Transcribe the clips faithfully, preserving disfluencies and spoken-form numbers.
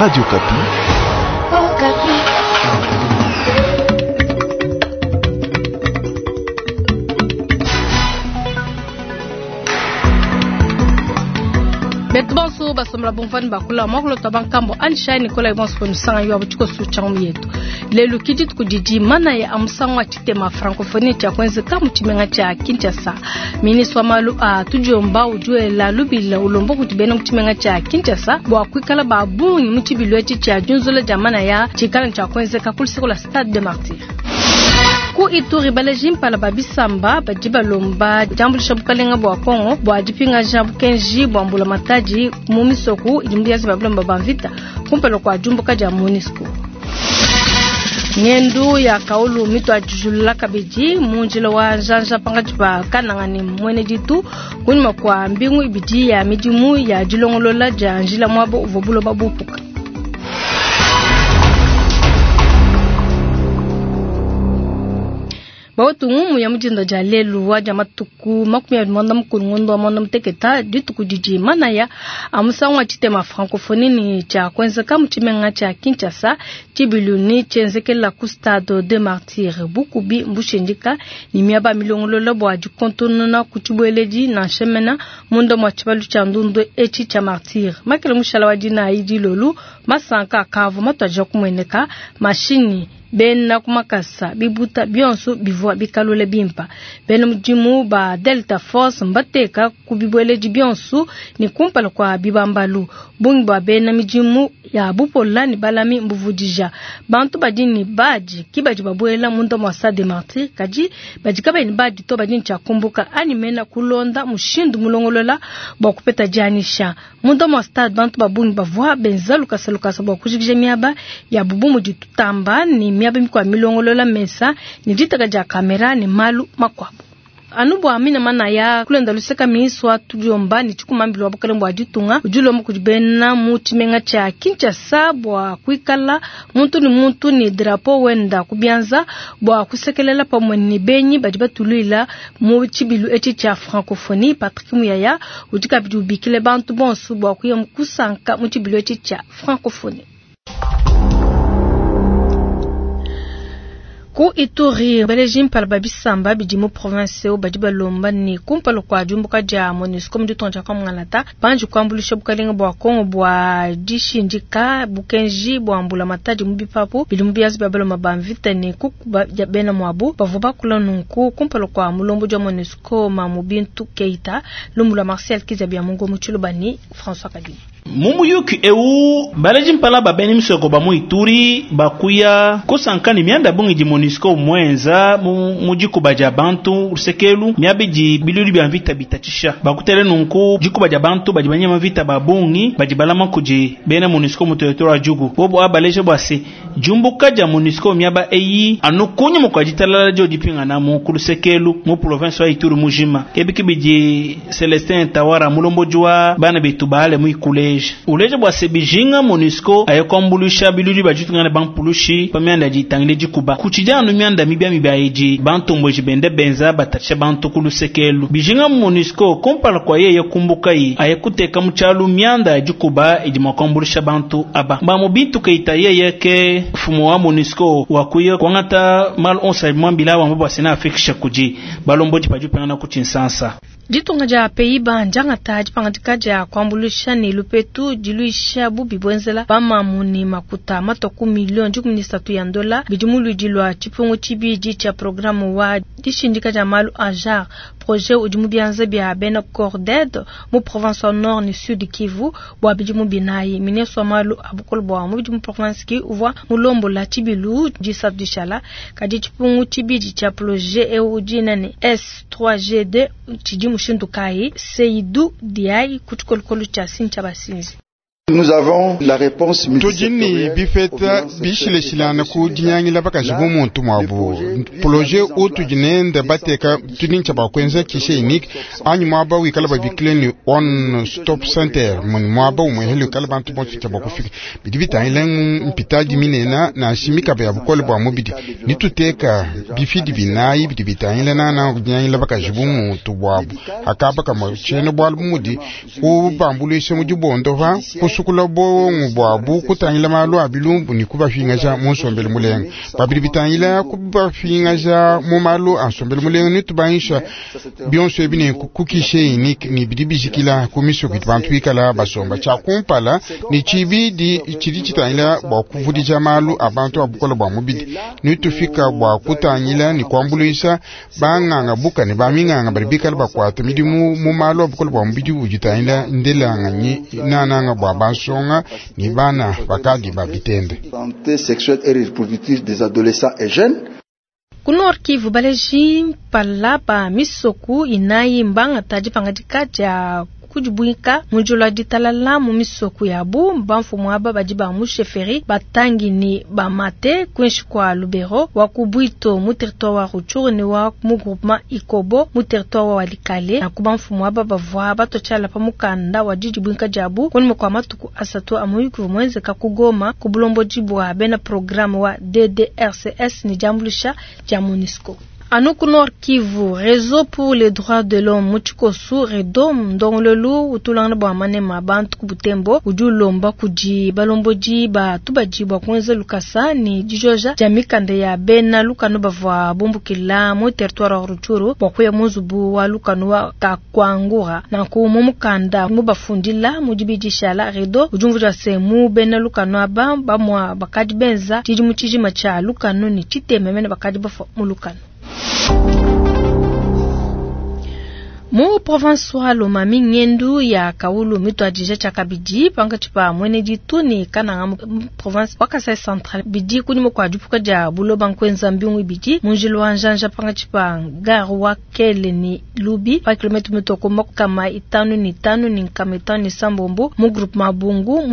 Radio Okapi. Oh, Betu bonso basomela bomvani bakula mwakulota bankambo anishai nikola bonso kwenu yo abuchiko changu yetu lelo kidi tukudidi mana ya amusango atitema francophonie cha kwenzeka muchimenga cha Kinshasa. Ministre wa malu a tudiomba ujuela lubila ulombo kutibena muchimenga cha Kinshasa bwa kwikala babungi muchibilwe cha junzula jamana ya chikala cha kwenzeka kuliseko la Stade de Martyrs. Ku Ituri baleji mpala babisamba badi balomba jambulisha bukalenga bwa Kongo bwa dipinga ja bukenji bwa mbula matadi mu misoku idi mbiazi babilomba bamvita kumpelo kwa jumbuka ja MONUSCO. Ngendu ya kaulu mito ajujulula kabidi munjila wa njanja pangaji pa kananga ni mwene ditu kunyuma kwa mbingu ibidi ya midimu ya dilongolola ja njila mwabo uvobulo babupuka. Bawatu ngumu ya mujinda ja lelu wa ja matuku makumi abili mwanda mukulu ngondo wa mwanda muteketa dituku didi manaya amusango wa tshitema francophonie ni tshia kwenzeka mu tshimenga tshia Kinshasa tshibilu ni tshienzekela ku Stade de Martyrs bukubi mbushindika ni miaba milongolola bua dikontonona ku tshibueledi na nshemena munda mua tshibalu tshia ndundu etshi tshia Martyrs makele mushala wa dinayi dilolu masanka akavu matuadija kumueneka mashini bena kumakasa bibuta bionso bivua bikalule bimpa bena mudimu ba Delta Force mbateka kubibweleji bionso ni kumpala kwa bibambalu bungi bwa bena midimu ya bupola ni balami mbuvudija bantu badi ni baji kibadi babwela munda mwa Stade de Martyrs kadi badi kabeni badi to badi nchakumbuka ani mena kulonda mushindu mulongolola bwa kupeta janisha munda mwa stade bantu babungi bavua benza lukasa lukasa bwa kujikija miaba ya bubumu ditutamba ni miaba mikwa milongolola mesa ni ditaka ja kamera ni malu makwabo anu bwa mina mana ya kulenda luseka miiswa tudiomba ni tshikumambilo wa bukalenge bwa ditunga udilomba kudi bena mu tshimenga tshia Kinshasa bwa kuikala muntu ni muntu ni drapeau wenda kubianza bwa kusekelela pamwe ni benyi badi batuluila mu tshibilu etshi tshia francophonie. Patrick Muyaya udi kabidi ubikile bantu bonso bwa kuya kusanka mu tshibilu etshi tshia francophonie. Ku Ituri baleji mpala babisamba bidi mu province eo badi balomba ni kumpala kwa diumbuka dia MONUSCO mu ditunga dia Kamangalata banji kuambulisha bukalenga bwa Kongo bwa dishindika bukenji bwa mbula matadi mu bipapu bidi mu biazi bia balomba ba mvita ni kukuba dia bena mwabu bavua bakula nunku kumpala kwa mulombo dia MONUSCO Mamu Bintu Keita lumu lwa Marcel Kizabia Mungo mu Tshiluba ni François Kadima. Mumuyuki eu baleji mpala babeni misoko ba mu Ituri bakuya kusankani mianda bungi di MONUSCO mwenza mu mujikuba ja bantu lusekelu miabidi bilulu bya mvita bitatisha bakutele nunku jikuba ja bantu badi banyama vita babungi badi balama kuji bena MONUSCO mu territoire ya Djugu bobo abaleje bwase jumbuka ja MONUSCO miaba eyi anukunyu mukwajitalala jo dipinga na mu kulusekelu mu province wa Ituri mujima kebikibidi Celestin Tawara mulombo jwa bana betu baale mu ikule uleje bwa sebijinga MONUSCO ayekwambulusha bilulu bajitungana bampulushi pamianda jitangile jikuba kuchijanu mianda mibya mibya eji bantombweji bende benza batacha bantu kulusekelu bijinga MONUSCO kompala kwa yeye kumbuka yi ayekuteka muchalu mianda ya jikuba edi mwakwambulusha bantu aba bamu bintu keita yeye ke fumo wa MONUSCO wakuye kwangata mal onsa mwambila wa mbwa sena afikisha kuji balomboji pajupengana kuchinsansa ditunga dia Pays-Bas njangata dipangadika dia kuambulusha ni lupetu diluisha bubi bwenzela bamamu ni makuta matoku milioni dikumi ni satu ya ndola bidi muludi lwa tshipungu tshibidi tshia programme wa dishindika dia malu a jar projet udi mu bianza bia bena Corded mu province wa Nord ni Sud Kivu bua bidimu binayi. Ministre wa malu a bukole bua mu bidimu province ki uvua mulombola tshibilu disatu dishala kadi tshipungu tshibidi tshia projet eu dina ne S trois G D tshidi mushindu kayi Seydou Diaye ku tshikolokolo tshia Sinthiya Basinzi. Nous avons la réponse Tujini bifeta bishileshilana ku dinyangila bakaji bumuntu mwabu projet utujinenda bateka tunincha bakwenza kishe unique anyu mwaba wikala babikile ni one stop center muni mwaba umwehele wikala bantu bonso cha bakufika bidi bitangile mpitaji minena na shimika ya bukole bwa mubidi nituteka bifidi binayi bidi bitangile nana kudinyangila bakaji bumuntu bwabu akaba kama chene bwalu mudi kubambulisha mudibondo va kusukula bongo bwabu kutangila malu a bilumbu ni kubafingaja mu nsombelu mulenga babidi bitangila kubafingaja mu malu a nsombelu mulenga ni tubangisha bionso ebi ne kukishe ni ni bidi bijikila ku misoko itu bantu bikala basomba tshia kumpala ni tshibidi tshidi tshitangila bua kuvudija malu a bantu a bukola bua mubidi ni tufika bua kutangila ni kuambuluisha banganga buka ne baminganga badi bikala bakuata midimu mu malu a bukola bua mubidi ujitangila ndelanganyi nananga bua bansonga ni bana bakadi babitende. Santé sexuelle et reproductive des adolescents et jeunes. Ku Nord Kivu baleji mpala ba misoku inayi mbangata dipangadika dia kudibuika mujulu ditalala mu misoku yabu bamfumu aba badi ba mu chefferie batangi ni bamate kwinshi kwa Lubero wa ku Bwito mu territoire wa Rutshuru ni wa mu groupement Ikobo mu territoire wa Walikale na ku bamfumu aba bavua batochala pa mukanda wa didibuika diabu kunyima kwa matuku asatu a muyuki mwenzeka ku Goma ku bulomboji bua bena programme wa D D R C S ni diambulusha dia MONUSCO. Anu ku Nord Kivu, Réseau pour les droits de l'homme mu tshikosu Redom ndongololu utulangana bua manema bantu ku Butembo udi ulomba kudi balombodi ba tubadi bua kuenza lukasa ni dijoja dia mikanda ya bena lukanu bavua bumbukila mu territoire wa Rutshuru bua kuya mu nzubu wa lukanu wa Kakwangura. Nanku mu mukanda mu bafundila mu dibidishala Redo udi umvuija se mu bena lukanu aba bamua bakadi benza tshidimu tshijima tshia lukanu ni tshiteme mene bakadi bafua mu lukanu. Mu province wa Lomami ngendu ya Kaulu mitwadija tshakabidi pankatshi pa mwene ditu ni Kananga mu province wa Kasai Central bidi kunyima kua dipuka dia buloba nkwenza mbingu ibidi mu njila wa njanja pankatshi pa gare wa Kele ni Lubi pa kilomètre mitoko makama itanu ni tanu ni nkama itanu ni sambombo mu groupement Bungu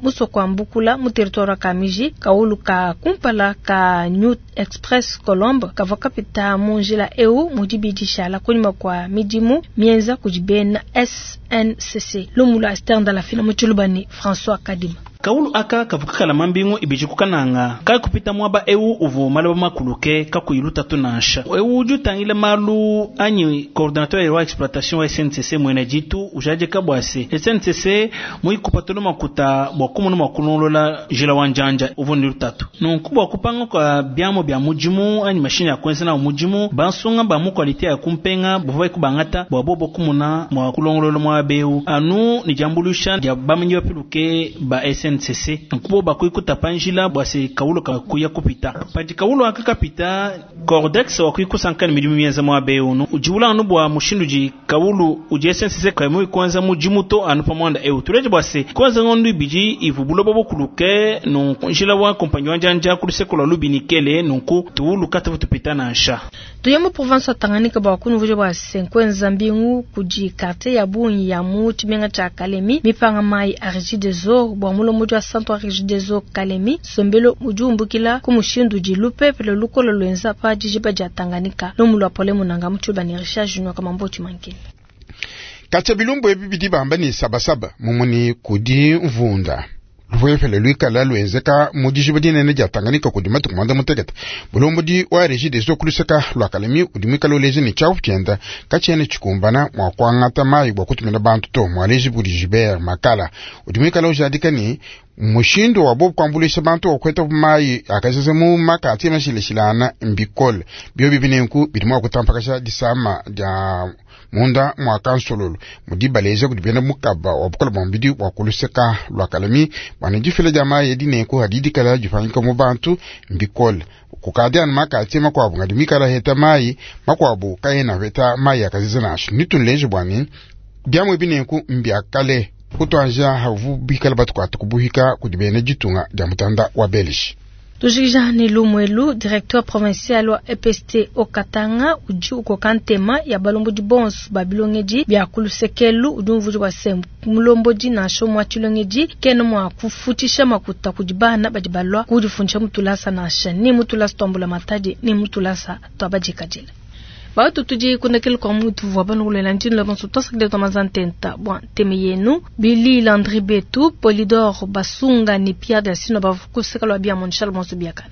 musoko wa Mbukula mu territoire wa Kamiji. Kaulu ka kumpala ka New Express Colombe kavua kapita mu njila eu mu dibidi shala kunyima kua midi mienza kujibena S N C C lumulu Astern Dalafina muchulubani François Kadima. Kaulu aka kavuka mambingu ibiji kukananga kai kupita mwaba eu uvu maloba makuluke kakuyiluta tunansha eu udi utangila malu anyi coordinateur wa exploitation wa S N C C mwene jitu ujaje kabwase S N C C muikupatolo makuta bwa kumunu makulonlola jila wanjanja uvu ni lutatu nunku bwa kupanga kwa byamo bya mujimu anyi mashine ya kwenza na mujimu bansunga ba mu qualité ya kumpenga buvai kubangata bwa bobo kumuna mwa kulongolola mwa beu anu ni jambulusha dia bamanyi bapiluke ba S N C C nkubo bakuikuta panjila bwase kaulo kakuya kupita padi kaulo akakapita cordex wakuikusankani midimu mienza mwa beu nu ujiula anu bwa mushindu ji kaulu uji S N C C kamu kwanza mujimu to anu pamwanda eu tuleje bwase kwanza ngondu ibiji ivubulo bobo kuluke nunku njila wa kompanyi wanjanja kulisekola lubinikele nunku tuulu katavu tupita na nsha Tuyemo province wa Tanganyika bwa kunuvuje bwase nkwenza mbingu kuji quartier ya bunyi ya mu tshimenga tsha Kalemi mipanga mai a Regideso bwa mulomo wa centre Regideso Kalemi sombelo ujumbukila ku mushindu di lupepele lukolo lwenza pa dijiba dia Tanganyika nomulu apole munanga mutshuba ni Richard Junior kamambo tshimankele Kacha bilumbu ebi bidi bamba ni sabasaba mumuni kudi mvunda lupepele luikala lwenzeka mu dijiba dinene dia Tanganyika kudi matuku mwanda mutekete bulombodi wa Regideso kuluseka lwa Kalemi udi muikala uleja ni tshiapu tshienda katshiena tshikumbana mua kuangata mayi bua kutumina bantu to mualeji budi Gilbert Makala udi muikala ujadika ni mushindu wa bobu kuambuluisha bantu wakweta mayi akasese mu makati mashilashilana mbikole bio bibi nenku bidi mua kutampakasha disama dia munda mwa kansololo mudi baleja kudi bena mukaba wa bukola bwa mubidi wa kuluseka lwa Kalemi bwana difila dia mayi edi nenku hadidikala difanyika mu bantu mbikole kukadi anu makati makuabu ngadi mikala heta mayi makuabu kayena heta mayi akasese nasho nitunleje bwani biamwe binenku mbiakale kutwanja havu bikala batukwata kubuhika kudi bena ditunga dia mutanda wa Belgique. Tujikija ni Lumwelu, directeur provincial wa E P S T Okatanga, udi ukoka ntema ya balombodi bonso ba bilongedi bia kulusekelu udi umvuja bua se mulombodi nansha umue wa tshilongedi kena mua kufutisha makuta kudi bana badi balua kudifundisha mutulasa nansha ni mutulasa tuambula matadi ni mutulasa tuabadikadila. Batu tudi kundakele kwa mutu vwa banu ntino la bonso tosakile to mazantenta bwa teme yenu Billy Landry Betu Polidor Basunga ni Pierre Delcino bavukuseka lwa bia monchal bonso biakana.